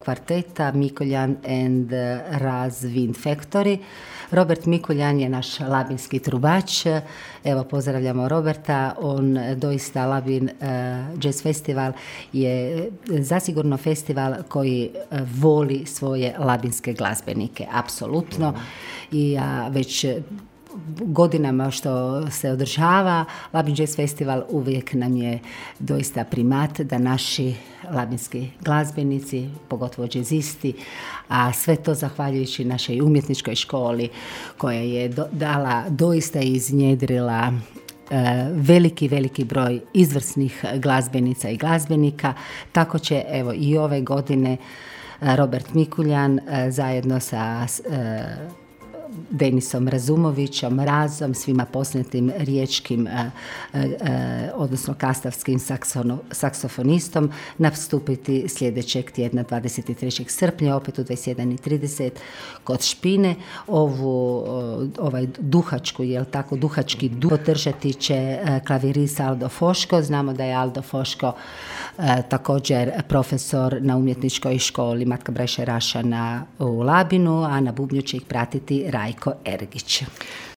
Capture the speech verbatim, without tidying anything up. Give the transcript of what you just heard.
kvarteta Mikuljan and Raz Wind Factory. Robert Mikuljan je naš labinski trubač. Evo, pozdravljamo Roberta. On doista, Labin uh, Jazz Festival je zasigurno festival koji uh, voli svoje labinske glazbenike, apsolutno. I ja uh, već godinama što se održava Labin Jazz Festival, uvijek nam je doista primat da naši labinski glazbenici, pogotovo džezisti, a sve to zahvaljujući našoj umjetničkoj školi koja je do, dala, doista iznjedrila veliki, veliki broj izvrsnih glazbenica i glazbenika. Tako će, evo, i ove godine Robert Mikuljan zajedno sa Denisom Razumovićem, Razom, svima poznatim riječkim, eh, eh, odnosno kastavskim saksono, saksofonistom, nastupiti sljedećeg tjedna dvadeset trećeg srpnja, opet u dvadeset jedan i trideset kod Špine. Ovu, ovaj duhačku, jel tako, duhački duh podržati će eh, klavirista Aldo Foško. Znamo da je Aldo Foško eh, također profesor na umjetničkoj školi Matka Braše Rašana u Labinu, a na bubnju će ih pratiti Rajko Ergić.